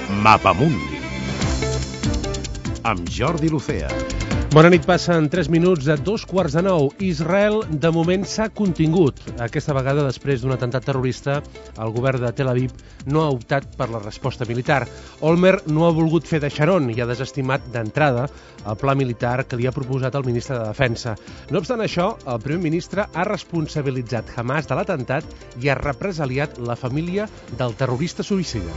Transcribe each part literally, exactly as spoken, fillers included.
Mapamundi amb Jordi Lucea. Bona nit, passen tres minuts a dos quarts de nou. Israel, de moment, s'ha contingut. Aquesta vegada, després d'un atemptat terrorista, el govern de Tel Aviv no ha optat per la resposta militar. Olmert no ha volgut fer de xaron i ha desestimat d'entrada el pla militar que li ha proposat el ministre de Defensa. No obstant això, el primer ministre ha responsabilitzat Hamas de l'atemptat i ha represaliat la família del terrorista suïcida.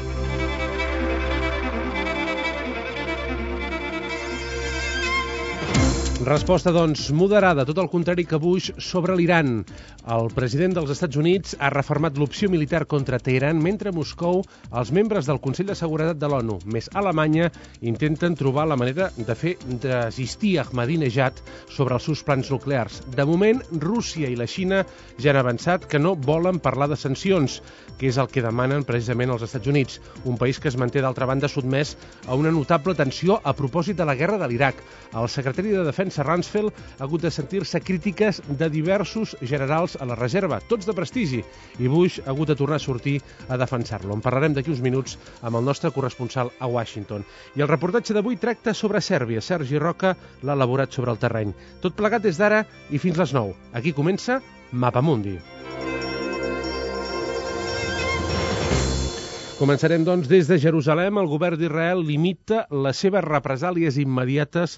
Resposta, doncs, moderada, tot el contrari que Bush sobre l'Iran. El president dels Estats Units ha refermat l'opció militar contra Teheran, mentre a Moscou els membres del Consell de Seguretat de l'ONU, més Alemanya, intenten trobar la manera de fer desistir Ahmadinejad sobre els seus plans nuclears. De moment, Rússia i la Xina ja han avançat que no volen parlar de sancions, que és el que demanen precisament els Estats Units, un país que es manté d'altra banda sotmès a una notable tensió a propòsit de la guerra de l'Iraq. El secretari de Defensa Rumsfeld ha hagut de sentir-se crítiques de diversos generals a la reserva, tots de prestigi, i Bush ha hagut de tornar a sortir a defensar-lo. En parlarem d'aquí uns minuts amb el nostre corresponsal a Washington. I el reportatge d'avui tracta sobre Sèrbia. Sergi Roca l'ha elaborat sobre el terreny. Tot plegat des d'ara i fins les nou. Aquí comença Mapamundi. Començarem, doncs, des de Jerusalem. El govern d'Israel limita les seves represàlies immediates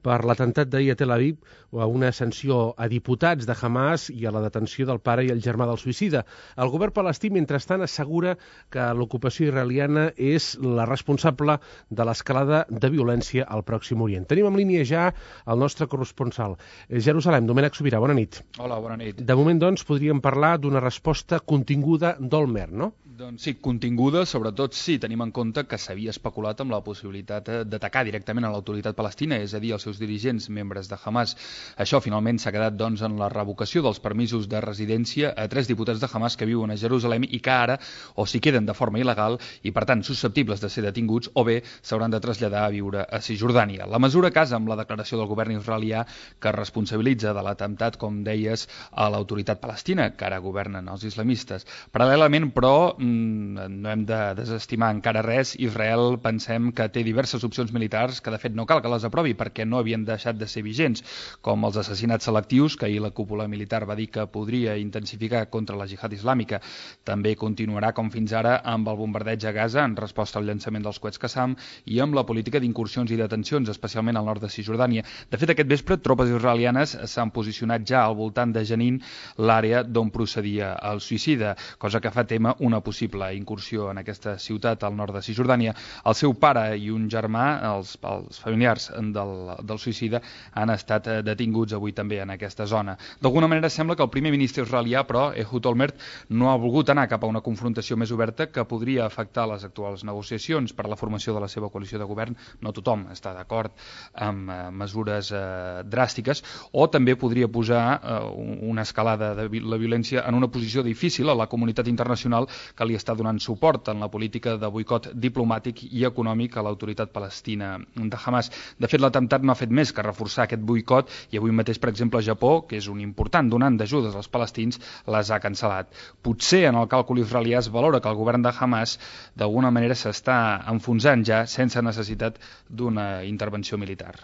per l'atemptat d'ahir a Tel Aviv a una sanció a diputats de Hamas i a la detenció del pare i el germà del suïcida. El govern palestí, mentrestant, assegura que l'ocupació israeliana és la responsable de l'escalada de violència al Pròxim Orient. Tenim en línia ja el nostre corresponsal. Jerusalem, Domènec Sobirà, bona nit. Hola, bona nit. De moment, doncs, podríem parlar d'una resposta continguda d'Olmert, no? Doncs sí, continguda, sobretot sí, tenim en compte que s'havia especulat amb la possibilitat d'atacar directament a l'autoritat palestina, és a dir, als seus dirigents, membres de Hamas. Això finalment s'ha quedat doncs, en la revocació dels permisos de residència a tres diputats de Hamas que viuen a Jerusalem i que ara o s'hi queden de forma il·legal i, per tant, susceptibles de ser detinguts o bé s'hauran de traslladar a viure a Cisjordània. La mesura casa amb la declaració del govern israelià que responsabilitza de l'atemptat, com deies, a l'autoritat palestina, que ara governen els islamistes. Paral·lelament, però, no hem de desestimar encara res. Israel pensem que té diverses opcions militars que de fet no cal que les aprovi perquè no havien deixat de ser vigents, com els assassinats selectius que ahir la cúpula militar va dir que podria intensificar contra la jihad islàmica. També continuarà com fins ara amb el bombardeig a Gaza en resposta al llançament dels coets Qassam i amb la política d'incursions i detencions, especialment al nord de Cisjordània. De fet, aquest vespre tropes israelianes s'han posicionat ja al voltant de Jenin, l'àrea d'on procedia el suïcida, cosa que fa tema una possible possible incursió en aquesta ciutat al nord de Cisjordània. El seu pare i un germà, els, els familiars del, del suïcida, han estat detinguts avui també en aquesta zona. D'alguna manera sembla que el primer ministre israelià, però, Ehud Olmert, no ha volgut anar cap a una confrontació més oberta que podria afectar les actuals negociacions per a la formació de la seva coalició de govern. No tothom està d'acord amb eh, mesures eh, dràstiques, o també podria posar eh, una escalada de la violència en una posició difícil a la comunitat internacional que li està donant suport en la política de boicot diplomàtic i econòmic a l'autoritat palestina de Hamas. De fet, l'atemptat no ha fet més que reforçar aquest boicot i avui mateix, per exemple, Japó, que és un important donant d'ajudes als palestins, les ha cancel·lat. Potser en el càlcul israelià es valora que el govern de Hamas d'alguna manera s'està enfonsant ja sense necessitat d'una intervenció militar.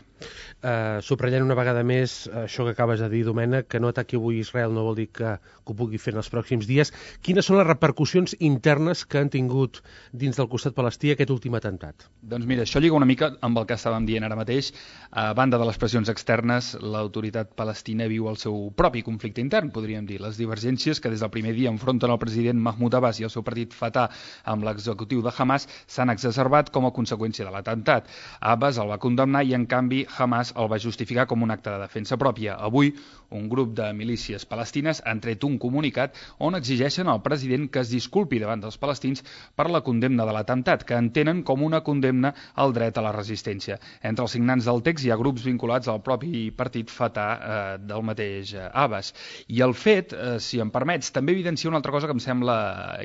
Uh, subratllant una vegada més això que acabes de dir, Domènec, que no ataqui avui Israel no vol dir que, que ho pugui fer en els pròxims dies. Quines són les repercussions internes que han tingut dins del costat palestí aquest últim atemptat? Doncs mira, això lliga una mica amb el que estàvem dient ara mateix. A banda de les pressions externes, l'autoritat palestina viu el seu propi conflicte intern, podríem dir. Les divergències que des del primer dia enfronten el president Mahmoud Abbas i el seu partit Fatah amb l'executiu de Hamas s'han exacerbat com a conseqüència de l'atemptat. Abbas el va condemnar i, en canvi, Hamas el va justificar com un acte de defensa pròpia. Avui, un grup de milícies palestines han tret un comunicat on exigeixen al president que es disculpi davant dels palestins per la condemna de l'atemptat, que entenen com una condemna al dret a la resistència. Entre els signants del text hi ha grups vinculats al propi partit Fatah eh, del mateix eh, Abbas. I el fet, eh, si em permets, també evidencia una altra cosa que em sembla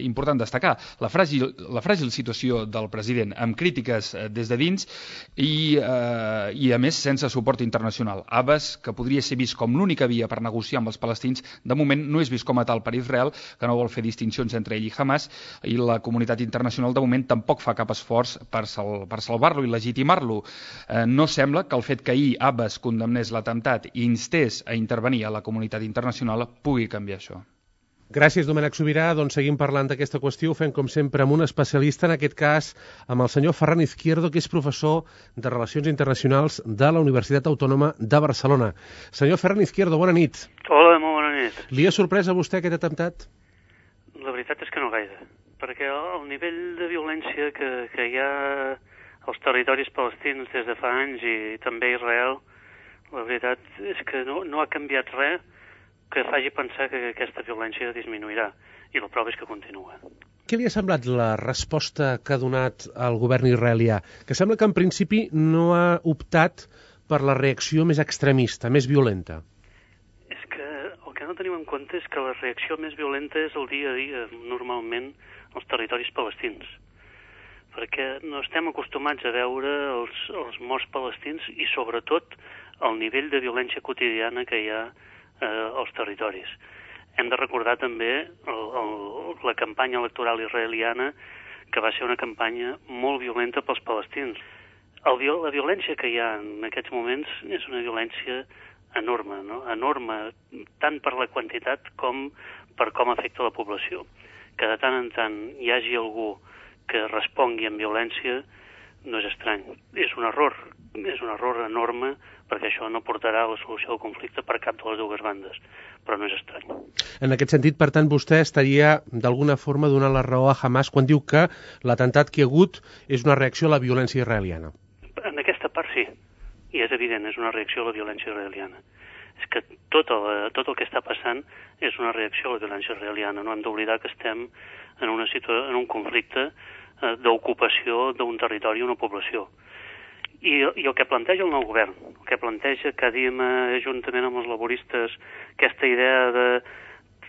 important destacar. La fràgil, la fràgil situació del president, amb crítiques eh, des de dins i, eh, i a més sense suport internacional. Abbas, que podria ser vist com l'única via per negociar amb els palestins, de moment no és vist com a tal per Israel, que no vol fer distincions entre ell i Hamas, i la comunitat comunitat internacional de moment tampoc fa cap esforç per, sal per salvar-lo i legitimar-lo. Eh, no sembla que el fet que ahir Abbas condemnés l'atemptat i instés a intervenir a la comunitat internacional pugui canviar això. Gràcies, Domènec Sobirà. Doncs seguim parlant d'aquesta qüestió. Ho fem, com sempre, amb un especialista, en aquest cas amb el senyor Ferran Izquierdo, que és professor de Relacions Internacionals de la Universitat Autònoma de Barcelona. Senyor Ferran Izquierdo, bona nit. Hola, molt bona nit. Li ha sorprès a vostè aquest atemptat? La veritat és que no gaire, perquè el nivell de violència que, que hi ha als territoris palestins des de fa anys i també a Israel, la veritat és que no, no ha canviat res que faci pensar que aquesta violència disminuirà, i la prova és que continua. Què li ha semblat la resposta que ha donat el govern israelià? Que sembla que en principi no ha optat per la reacció més extremista, més violenta. És que el que no tenim en compte és que la reacció més violenta és el dia a dia, normalment, als territoris palestins. Perquè no estem acostumats a veure els, els morts palestins i, sobretot, el nivell de violència quotidiana que hi ha eh, als territoris. Hem de recordar també el, el, la campanya electoral israeliana, que va ser una campanya molt violenta pels palestins. El, la violència que hi ha en aquests moments és una violència enorme, no? Enorme, tant per la quantitat com per com afecta la població. Que de tant en tant hi hagi algú que respongui amb violència no és estrany. És un error, és un error enorme, perquè això no portarà a la solució del conflicte per cap de les dues bandes, però no és estrany. En aquest sentit, per tant, vostè estaria d'alguna forma donant la raó a Hamas quan diu que l'atemptat que hi ha hagut és una reacció a la violència israeliana. En aquesta part sí, i és evident, és una reacció a la violència israeliana. És que tot el, tot el que està passant és una reacció a la violència israeliana. No hem d'oblidar que estem en, una situa en un conflicte eh, d'ocupació d'un territori i una població. I, I el que planteja el nou govern, el que planteja que diem eh, juntament amb els laboristes aquesta idea de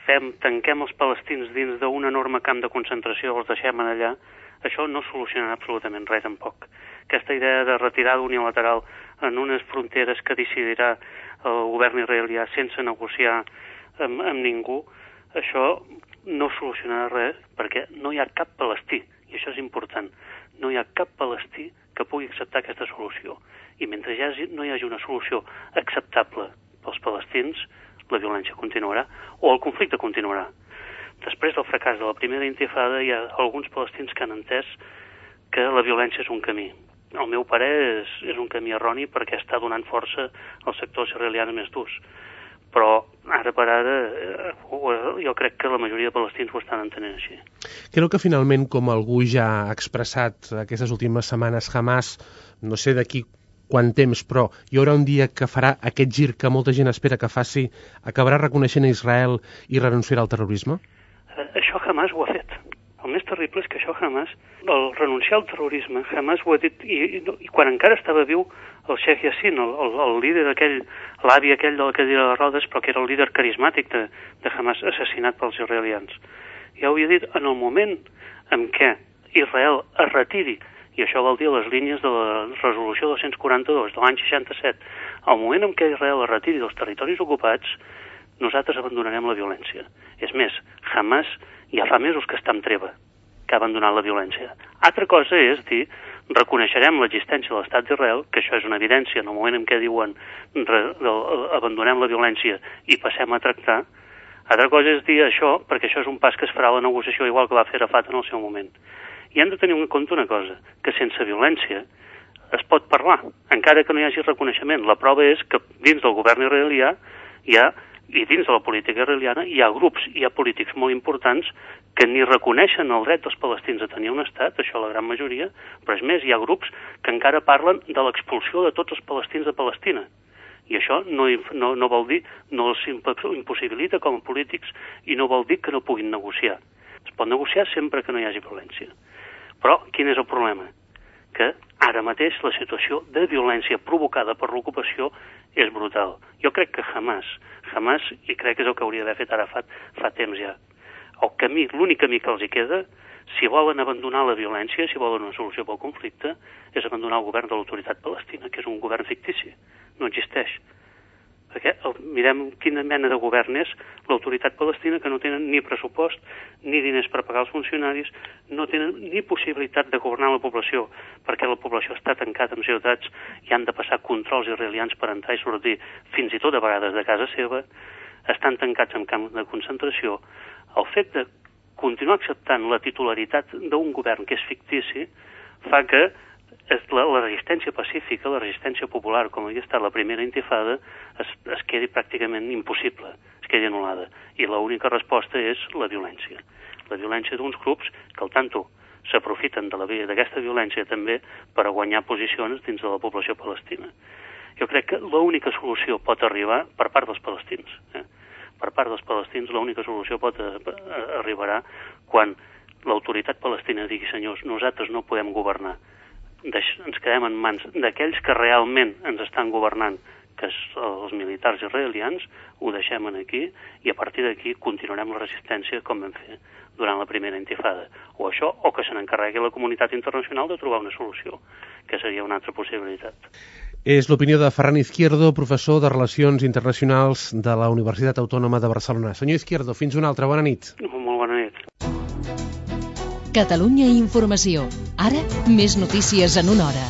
fem, tanquem els palestins dins d'un enorme camp de concentració, els deixem allà, això no solucionarà absolutament res tampoc. Aquesta idea de retirada unilateral en unes fronteres que decidirà el govern israelià sense negociar amb, amb ningú, això no solucionarà res perquè no hi ha cap palestí, i això és important, no hi ha cap palestí que pugui acceptar aquesta solució. I mentre hi hagi, no hi hagi una solució acceptable pels palestins, la violència continuarà o el conflicte continuarà. Després del fracàs de la primera intifada hi ha alguns palestins que han entès que la violència és un camí. El meu parer és, és un camí erroni perquè està donant força als sectors israelians més durs. Però ara per ara jo crec que la majoria de palestins ho estan entenent així. Creu que finalment, com algú ja ha expressat aquestes últimes setmanes, Hamas, no sé d'aquí quant temps, però hi haurà un dia que farà aquest gir que molta gent espera que faci, acabarà reconeixent a Israel i renunciarà al terrorisme? Eh, això Hamas ho ha fet. El més terrible és que això Hamas, el renunciar al terrorisme, Hamas ho ha dit, i, i, i quan encara estava viu el Sheikh Yassin, el, el, el líder aquell, l'avi aquell de la cadira de rodes, però que era el líder carismàtic de, de Hamas, assassinat pels israelians. Ja ho havia dit, en el moment en què Israel es retiri, i això vol dir les línies de la resolució dos-cents quaranta-dos de l'any seixanta-set, al moment en què Israel es retiri dels territoris ocupats, nosaltres abandonarem la violència. És més, Hamas ja fa mesos que està en treva, que ha abandonat la violència. Altra cosa és dir, reconeixerem l'existència de l'estat d'Israel, que això és una evidència en el moment en què diuen re, abandonem la violència i passem a tractar. Altra cosa és dir això, perquè això és un pas que es farà a la negociació igual que va fer Arafat en el seu moment. I hem de tenir en compte una cosa, que sense violència es pot parlar, encara que no hi hagi reconeixement. La prova és que dins del govern israelià hi ha, i dins de la política israeliana hi ha grups, hi ha polítics molt importants que ni reconeixen el dret dels palestins a tenir un estat, això la gran majoria, però és més, hi ha grups que encara parlen de l'expulsió de tots els palestins de Palestina. I això no, no, no vol dir, no els impossibilita com a polítics i no vol dir que no puguin negociar. Es pot negociar sempre que no hi hagi violència. Però quin és el problema? Que ara mateix la situació de violència provocada per l'ocupació és brutal. Jo crec que Hamas, Hamas, i crec que és el que hauria d'haver fet Arafat fa temps ja, el camí, l'únic camí que els hi queda, si volen abandonar la violència, si volen una solució pel conflicte, és abandonar el govern de l'autoritat palestina, que és un govern fictici, no existeix. perquè el, mirem quina mena de govern és l'autoritat palestina, que no tenen ni pressupost ni diners per pagar els funcionaris, no tenen ni possibilitat de governar la població, perquè la població està tancada en ciutats i han de passar controls israelians per entrar i sortir, fins i tot a vegades de casa seva, estan tancats en camps de concentració. El fet de continuar acceptant la titularitat d'un govern que és fictici fa que la, la resistència pacífica, la resistència popular, com havia estat la primera intifada, es, es quedi pràcticament impossible, es quedi anul·lada. I l'única resposta és la violència. La violència d'uns grups que, al tanto, s'aprofiten de la via d'aquesta violència també per a guanyar posicions dins de la població palestina. Jo crec que l'única solució pot arribar per part dels palestins. Eh? Per part dels palestins l'única solució pot a, a, arribarà quan l'autoritat palestina digui: senyors, nosaltres no podem governar, Deix, ens quedem en mans d'aquells que realment ens estan governant, que és els militars israelians, ho deixem aquí i a partir d'aquí continuarem la resistència com vam fer durant la primera intifada. O això, o que se n'encarregui la comunitat internacional de trobar una solució, que seria una altra possibilitat. És l'opinió de Ferran Izquierdo, professor de Relacions Internacionals de la Universitat Autònoma de Barcelona. Senyor Izquierdo, fins una altra. Bona nit. Molt bona nit. Catalunya Informació. Ara, més notícies en una hora.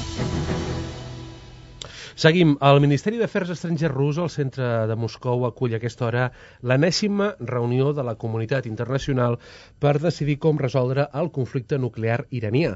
Seguim. El Ministeri d'Afers Estrangers rus al centre de Moscou acull a aquesta hora l'enèsima reunió de la comunitat internacional per decidir com resoldre el conflicte nuclear iranià.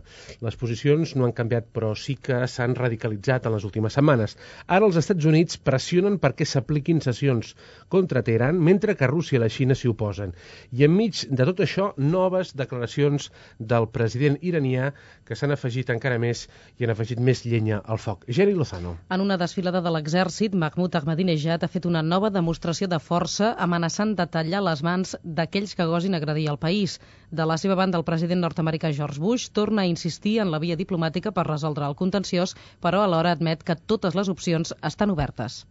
Les posicions no han canviat, però sí que s'han radicalitzat en les últimes setmanes. Ara els Estats Units pressionen perquè s'apliquin sancions contra Teheran, mentre que Rússia i la Xina s'hi oposen. I enmig de tot això, noves declaracions del president iranià que s'han afegit encara més i han afegit més llenya al foc. Geri Lozano. En una desfilada de l'exèrcit, Mahmoud Ahmadinejad ha fet una nova demostració de força amenaçant de tallar les mans d'aquells que gosin agredir el país. De la seva banda, el president nord-americà George Bush torna a insistir en la via diplomàtica per resoldre el contenciós, però alhora admet que totes les opcions estan obertes.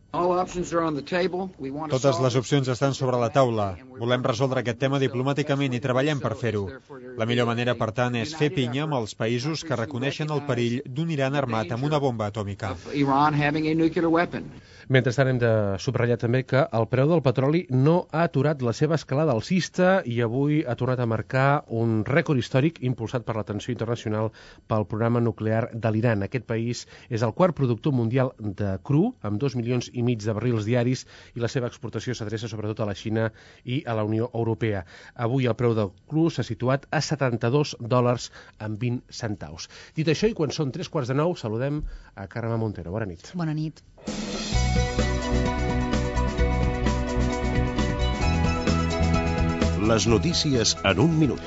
Totes les opcions estan sobre la taula. Volem resoldre aquest tema diplomàticament i treballem per fer-ho. La millor manera, per tant, és fer pinya amb els països que reconeixen el perill d'un Iran armat amb una bomba atòmica. Mentrestant, hem de subratllar també que el preu del petroli no ha aturat la seva escalada alcista i avui ha tornat a marcar un rècord històric impulsat per l'atenció internacional pel programa nuclear de l'Iran. Aquest país és el quart productor mundial de cru, amb dos milions i mig de barrils diaris, i la seva exportació s'adreça sobretot a la Xina i a la Unió Europea. Avui el preu del cru s'ha situat a setanta-dos dòlars amb vint centaus. Dit això, i quan són tres quarts de nou, saludem a Carme Montero. Bona nit. Bona nit. Les notícies en un minut.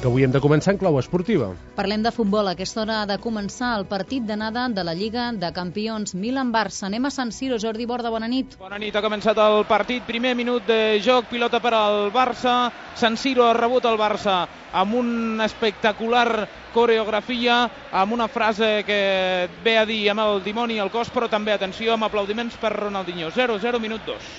Que avui hem de començar en clau esportiva. Parlem de futbol. A aquesta hora ha de començar el partit d'anada de la Lliga de Campions Milan-Barça. Anem a San Siro. Jordi Borda, bona nit. Bona nit. Ha començat el partit. Primer minut de joc. Pilota per al Barça. San Siro ha rebut el Barça amb una espectacular coreografia, amb una frase que ve a dir amb el dimoni al cos, però també, atenció, amb aplaudiments per Ronaldinho. zero zero, minut dos.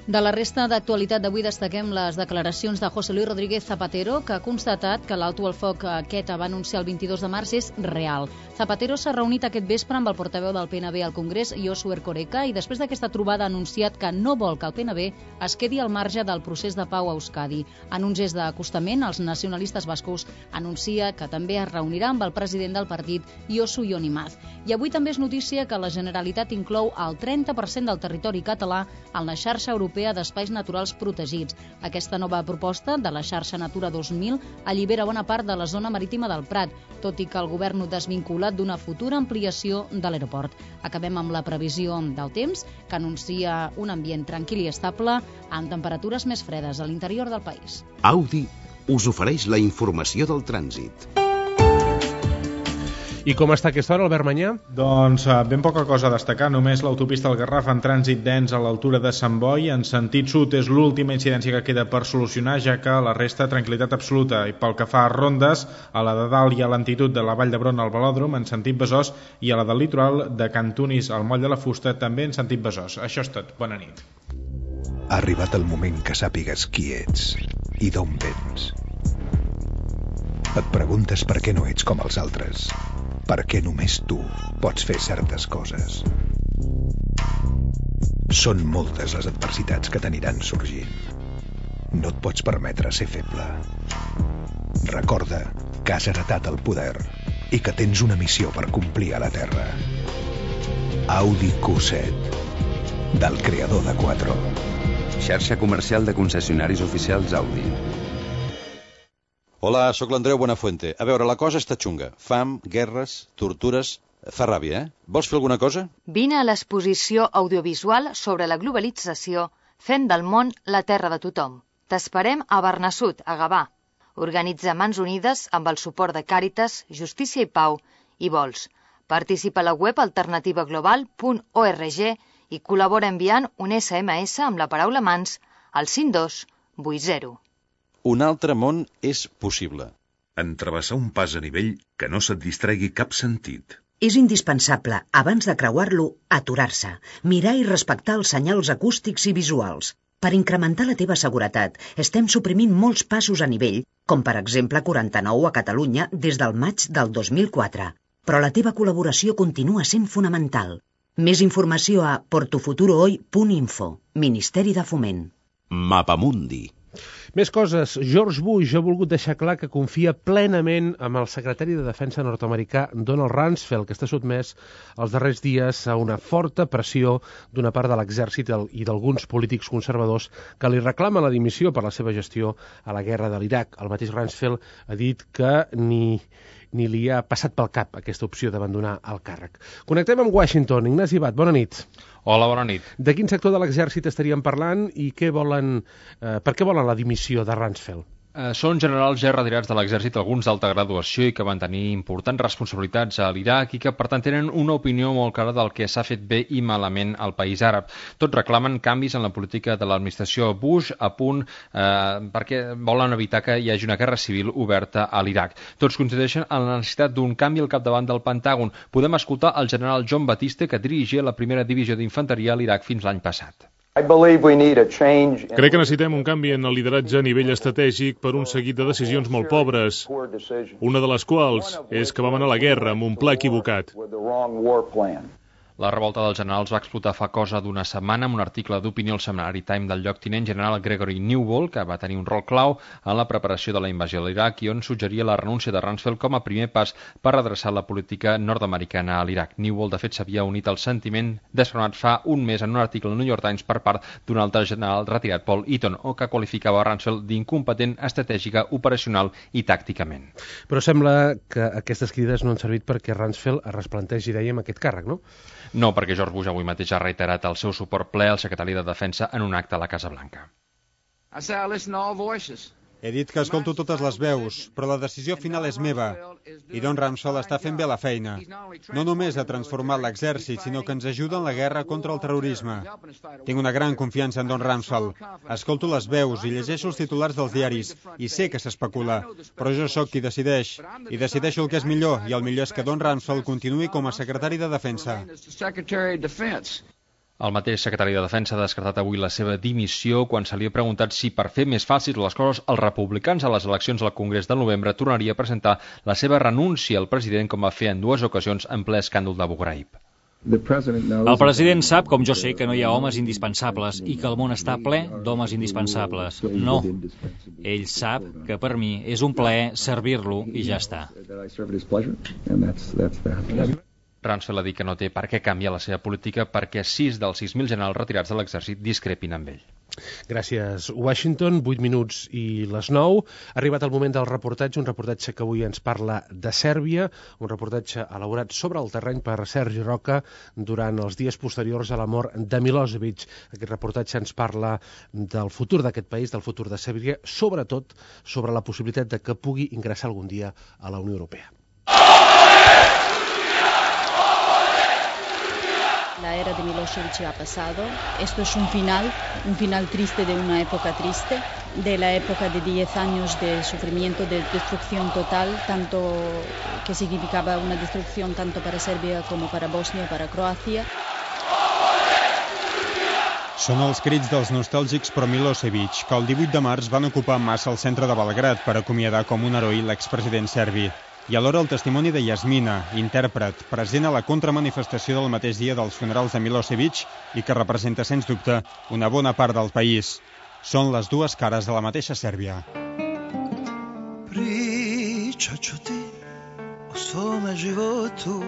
De la resta d'actualitat d'avui destaquem les declaracions de José Luis Rodríguez Zapatero, que ha constatat que l'alto al foc aquest va anunciar el vint-i-dos de març és real. Zapatero s'ha reunit aquest vespre amb el portaveu del P N B al Congrés, Josu Erkoreka, i després d'aquesta trobada ha anunciat que no vol que el P N B es quedi al marge del procés de pau a Euskadi. En un gest d'acostament, els nacionalistes bascos anuncia que també es reunirà amb el president del partit, Josu Jon Imaz. I avui també és notícia que la Generalitat inclou el trenta per cent del territori català en la xarxa europea d'espais naturals protegits. Aquesta nova proposta de la xarxa Natura dos mil allibera bona part de la zona marítima del Prat, tot i que el govern ho desvinculat d'una futura ampliació de l'aeroport. Acabem amb la previsió del temps, que anuncia un ambient tranquil i estable amb temperatures més fredes a l'interior del país. Audi us ofereix la informació del trànsit. I com està aquesta hora, Albert Manyà? Doncs ben poca cosa a destacar, només l'autopista del Garraf en trànsit dens a l'altura de Sant Boi. En sentit sud és l'última incidència que queda per solucionar, ja que la resta tranquil·litat absoluta. I pel que fa a rondes, a la de dalt hi ha l'entitud de la Vall d'Hebron al Velòdrom en sentit Besòs i a la del litoral de Cantunis al Moll de la Fusta també en sentit Besòs. Això és tot. Bona nit. Ha arribat el moment que sàpigues qui ets i d'on vens. Et preguntes per què no ets com els altres. Per què només tu pots fer certes coses. Són moltes les adversitats que t'aniran sorgint. No et pots permetre ser feble. Recorda que has heretat el poder i que tens una missió per complir a la Terra. Audi Q set, del creador de Quattro. Xarxa comercial de concessionaris oficials Audi. Hola, sóc l'Andreu Buenafuente. A veure, la cosa està xunga. Fam, guerres, tortures... Fa ràbia, eh? Vols fer alguna cosa? Vine a l'exposició audiovisual sobre la globalització Fem del món la terra de tothom. T'esperem a Bernassut, a Gavà. Organitza Mans Unides amb el suport de Càritas, Justícia i Pau i Vols. Participa a la web alternativa global punt org i col·labora enviant un essa ema essa amb la paraula mans al cinc dos vuit zero. Un altre món és possible. En travessar un pas a nivell que no se't distregui cap sentit. És indispensable, abans de creuar-lo, aturar-se, mirar i respectar els senyals acústics i visuals. Per incrementar la teva seguretat, estem suprimint molts passos a nivell, com per exemple quaranta-nou a Catalunya des del maig del dos mil quatre. Però la teva col·laboració continua sent fonamental. Més informació a portofuturohoy punt info, Ministeri de Foment. Mapamundi. Més coses. George Bush ha volgut deixar clar que confia plenament amb el secretari de Defensa nord-americà Donald Rumsfeld, que està sotmès els darrers dies a una forta pressió d'una part de l'exèrcit i d'alguns polítics conservadors que li reclamen la dimissió per la seva gestió a la guerra de l'Iraq. El mateix Rumsfeld ha dit que ni... ni li ha passat pel cap aquesta opció d'abandonar el càrrec. Connectem amb Washington. Ignasi Bat, bona nit. Hola, bona nit. De quin sector de l'exèrcit estaríem parlant i què volen, eh, per què volen la dimissió de Rumsfeld? Eh, són generals ja retirats de l'exèrcit, alguns d'alta graduació i que van tenir importants responsabilitats a l'Iraq i que, per tant, tenen una opinió molt clara del que s'ha fet bé i malament al país àrab. Tots reclamen canvis en la política de l'administració Bush a punt eh, perquè volen evitar que hi hagi una guerra civil oberta a l'Iraq. Tots coincideixen en la necessitat d'un canvi al capdavant del Pentàgon. Podem escoltar el general John Batiste, que dirigia la primera divisió d'infanteria a l'Iraq fins l'any passat. Crec que necessitem un canvi en el lideratge a nivell estratègic per un seguit de decisions molt pobres, una de les quals és que vam anar a la guerra amb un pla equivocat. La revolta dels generals va explotar fa cosa d'una setmana amb un article d'opinió al setmanari Time del lloctinent general Gregory Newbold, que va tenir un rol clau en la preparació de la invasió de l'Iraq i on suggeria la renúncia de Rumsfeld com a primer pas per redreçar la política nord-americana a l'Iraq. Newbold, de fet, s'havia unit al sentiment desfrenat fa un mes en un article al New York Times per part d'un altre general retirat, Paul Eaton, o que qualificava Rumsfeld d'incompetent estratègica, operacional i tàcticament. Però sembla que aquestes crides no han servit perquè Rumsfeld es resplantegi, dèiem, aquest càrrec, no? No, perquè George Bush avui mateix ha reiterat el seu suport ple al secretari de Defensa en un acte a la Casa Blanca. He dit que escolto totes les veus, però la decisió final és meva. I Don Rumsfeld està fent bé la feina. No només ha transformat l'exèrcit, sinó que ens ajuda en la guerra contra el terrorisme. Tinc una gran confiança en Don Rumsfeld. Escolto les veus i llegeixo els titulars dels diaris, i sé que s'especula, però jo sóc qui decideix. I decideixo el que és millor, i el millor és que Don Rumsfeld continuï com a secretari de Defensa. El mateix secretari de Defensa ha descartat avui la seva dimissió quan se li ha preguntat si, per fer més fàcils les coses, els republicans a les eleccions al Congrés del novembre tornaria a presentar la seva renúncia al president, com va fer en dues ocasions en ple escàndol d'Abu Ghraib. El president sap, com jo sé, que no hi ha homes indispensables i que el món està ple d'homes indispensables. No. Ell sap que per mi és un plaer servir-lo i ja està. Rumsfeld ha dit que no té per què canviar la seva política perquè sis dels sis mil generals retirats de l'exèrcit discrepin amb ell. Gràcies, Washington. vuit minuts i les nou. Ha arribat el moment del reportatge, un reportatge que avui ens parla de Sèrbia, un reportatge elaborat sobre el terreny per Sergi Roca durant els dies posteriors a la mort de Milosevic. Aquest reportatge ens parla del futur d'aquest país, del futur de Sèrbia, sobretot sobre la possibilitat de que pugui ingressar algun dia a la Unió Europea. La era de Milosevic ha pasado. Esto es un final, un final triste de una época triste, de la época de diez años de sufrimiento, de destrucción total, tanto que significaba una destrucción tanto para Serbia como para Bosnia, para Croacia. Són els crits dels nostàlgics pro Milosevic, que el divuit de març van ocupar massa el centre de Belgrad per acomiadar com un heroi l'expresident serbi. I alhora el testimoni de Yasmina, intèrpret, present a la contramanifestació del mateix dia dels funerals de Milosevic i que representa, sens dubte, una bona part del país. Són les dues cares de la mateixa Sèrbia. Pričat ću ti o svome životu.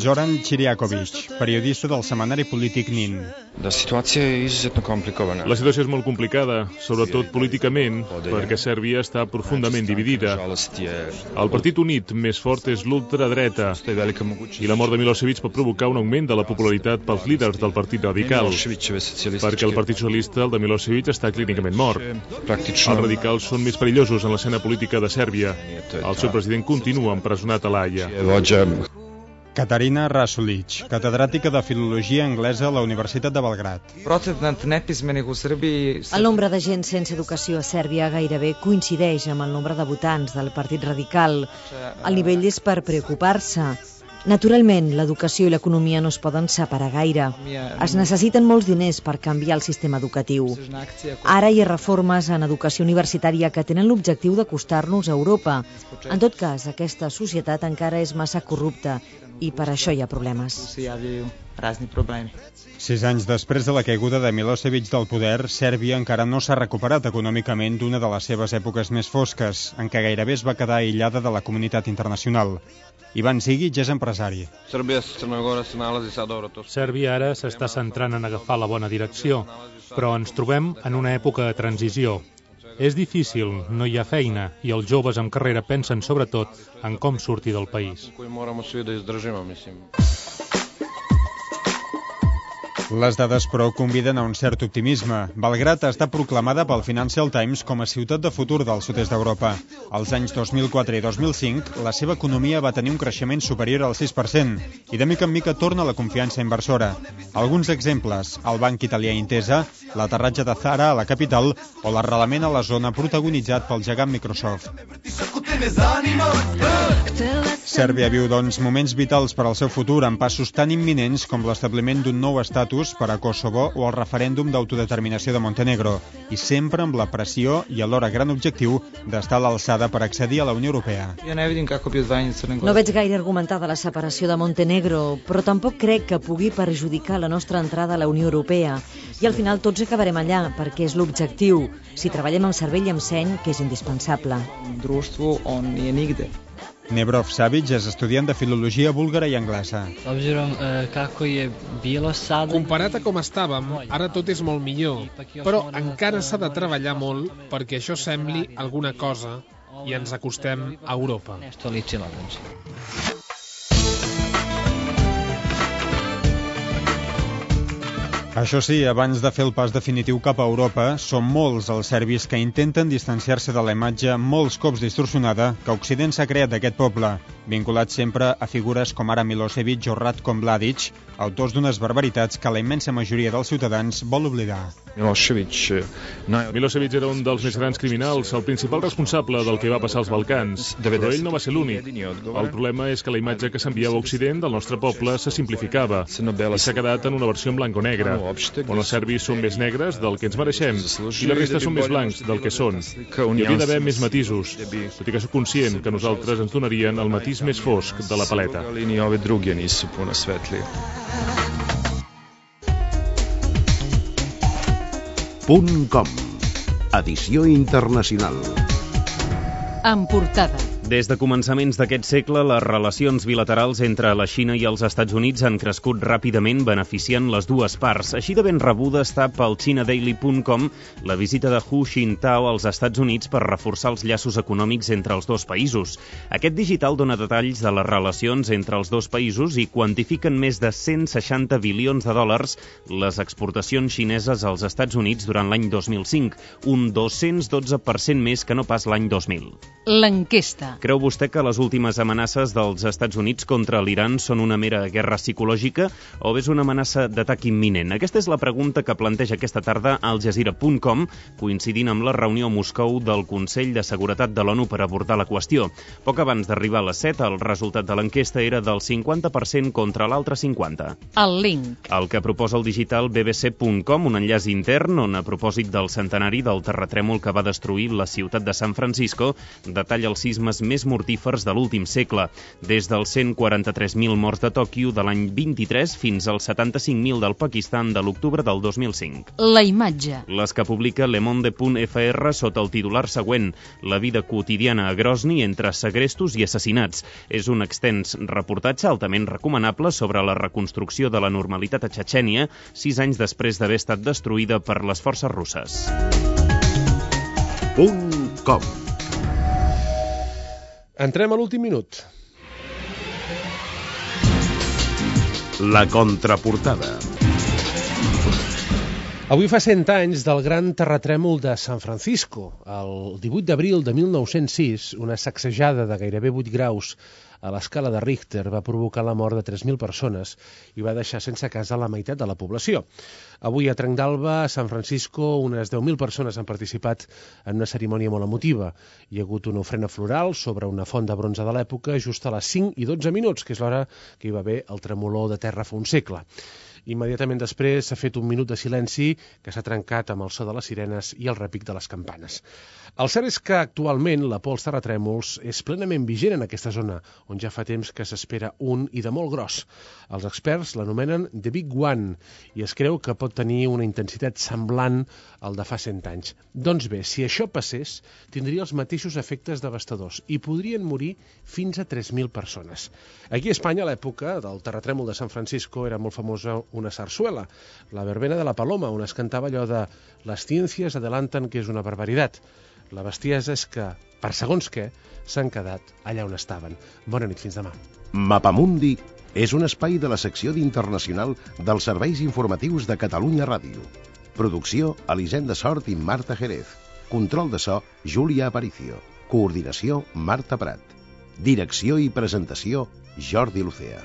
Zoran Čiriaković, periodista del setmanari polític Nin. La situació és izuzetno complicada. La situació és molt complicada, sobretot políticament, perquè Sèrbia està profundament dividida. El partit unit més fort és l'ultradreta i la mort de Milosevic pot provocar un augment de la popularitat pels líders del partit radical, perquè el partit socialista, el de Milosevic, està clínicament mort. Els radicals són més perillosos en l'escena política de Sèrbia. El seu president continua empresonat a l'Haia. Katarina Rasulic, catedràtica de Filologia Anglesa a la Universitat de Belgrad. El nombre de gent sense educació a Sèrbia gairebé coincideix amb el nombre de votants del Partit Radical. El nivell és per preocupar-se. Naturalment, l'educació i l'economia no es poden separar gaire. Es necessiten molts diners per canviar el sistema educatiu. Ara hi ha reformes en educació universitària que tenen l'objectiu d'acostar-nos a Europa. En tot cas, aquesta societat encara és massa corrupta i per això hi ha problemes. Sis anys després de la caiguda de Milosevic del poder, Sèrbia encara no s'ha recuperat econòmicament d'una de les seves èpoques més fosques, en què gairebé es va quedar aïllada de la comunitat internacional. Ivan Zigic és empresari. Sèrbia ara s'està centrant en agafar la bona direcció, però ens trobem en una època de transició. És difícil, no hi ha feina, i els joves amb carrera pensen sobretot en com sortir del país. Les dades, però, conviden a un cert optimisme. Belgrad està proclamada pel Financial Times com a ciutat de futur del sud-est d'Europa. Als anys dos mil quatre i dos mil cinc, la seva economia va tenir un creixement superior al sis per cent i de mica en mica torna la confiança inversora. Alguns exemples: el banc italià Intesa, l'aterratge de Zara a la capital o l'arrelament a la zona protagonitzat pel gegant Microsoft. Sèrbia viu, doncs, moments vitals per al seu futur amb passos tan imminents com l'establiment d'un nou estatus per a Kosovo o el referèndum d'autodeterminació de Montenegro, i sempre amb la pressió i alhora gran objectiu d'estar a l'alçada per accedir a la Unió Europea. No veig gaire argumentada la separació de Montenegro, però tampoc crec que pugui perjudicar la nostra entrada a la Unió Europea. I al final tots acabarem allà, perquè és l'objectiu, si treballem amb cervell i amb seny, que és indispensable. Nebrov Savic és estudiant de filologia búlgara i anglesa. Comparat a com estàvem, ara tot és molt millor, però encara s'ha de treballar molt perquè això sembli alguna cosa i ens acostem a Europa. Això sí, abans de fer el pas definitiu cap a Europa, són molts els serbis que intenten distanciar-se de la imatge molts cops distorsionada que Occident s'ha creat d'aquest poble, vinculat sempre a figures com ara Milosevic o Ratko Mladic, autors d'unes barbaritats que la immensa majoria dels ciutadans vol oblidar. Milosevic Milosevic era un dels més grans criminals, el principal responsable del que va passar als Balcans, però ell no va ser l'únic. El problema és que la imatge que s'enviava a Occident del nostre poble se simplificava i s'ha quedat en una versió en blanc o negre, on els serbis són més negres del que ens mereixem i la resta són més blancs del que són. Hi hauria d'haver més matisos, tot i que soc conscient que nosaltres ens donarien el matís més fosc de la paleta. Punt com. Edició internacional. En portada. Des de començaments d'aquest segle, les relacions bilaterals entre la Xina i els Estats Units han crescut ràpidament, beneficiant les dues parts. Així de ben rebuda està pel China Daily punt com la visita de Hu Jintao als Estats Units per reforçar els llaços econòmics entre els dos països. Aquest digital dona detalls de les relacions entre els dos països i quantifiquen més de cent seixanta bilions de dòlars les exportacions xineses als Estats Units durant l'any dos mil cinc, un dos-cents dotze per cent més que no pas l'any dos mil. L'enquesta. Creu vostè que les últimes amenaces dels Estats Units contra l'Iran són una mera guerra psicològica o és una amenaça d'atac imminent? Aquesta és la pregunta que planteja aquesta tarda al Jazeera punt com, coincidint amb la reunió a Moscou del Consell de Seguretat de l'ONU per abordar la qüestió. Poc abans d'arribar a les set, el resultat de l'enquesta era del cinquanta per cent contra l'altre cinquanta. El link. El que proposa el digital B B C punt com, un enllaç intern on, a propòsit del centenari del terratrèmol que va destruir la ciutat de San Francisco, detalla els sismes més mortífers de l'últim segle, des dels cent quaranta-tres mil morts de Tòquio de l'any vint-i-tres fins als setanta-cinc mil del Pakistan de l'octubre del dos mil cinc. La imatge. Les que publica Le Monde punt F R sota el titular següent: la vida quotidiana a Grozny entre segrestos i assassinats. És un extens reportatge altament recomanable sobre la reconstrucció de la normalitat a Txetxènia, sis anys després d'haver estat destruïda per les forces russes. Punt com. Entrem a l'últim minut. La contraportada. Avui fa cent anys del gran terratrèmol de San Francisco. El divuit d'abril de mil nou-cents sis, una sacsejada de gairebé vuit graus a l'escala de Richter va provocar la mort de tres mil persones i va deixar sense casa la meitat de la població. Avui a Trenc d'Alba, a San Francisco, unes deu mil persones han participat en una cerimònia molt emotiva. Hi ha hagut una ofrena floral sobre una font de bronze de l'època just a les cinc i dotze minuts, que és l'hora que hi va haver el tremolor de terra fa un segle. Immediatament després s'ha fet un minut de silenci que s'ha trencat amb el so de les sirenes i el repic de les campanes. El cert és que actualment la por als terratrèmols és plenament vigent en aquesta zona, on ja fa temps que s'espera un i de molt gros. Els experts l'anomenen The Big One i es creu que pot tenir una intensitat semblant al de fa cent anys. Doncs bé, si això passés, tindria els mateixos efectes devastadors i podrien morir fins a tres mil persones. Aquí a Espanya, a l'època del terratrèmol de San Francisco, era molt famosa una sarsuela, la verbena de la Paloma, on es cantava allò de «Las ciencias adelantan que és una barbaritat». La bestiesa és que, per segons què, s'han quedat allà on estaven. Bona nit, fins demà. Mapamundi és un espai de la secció d'Internacional dels Serveis Informatius de Catalunya Ràdio. Producció, Elisenda Sort i Marta Jerez. Control de so, Júlia Aparicio. Coordinació, Marta Prat. Direcció i presentació, Jordi Lucea.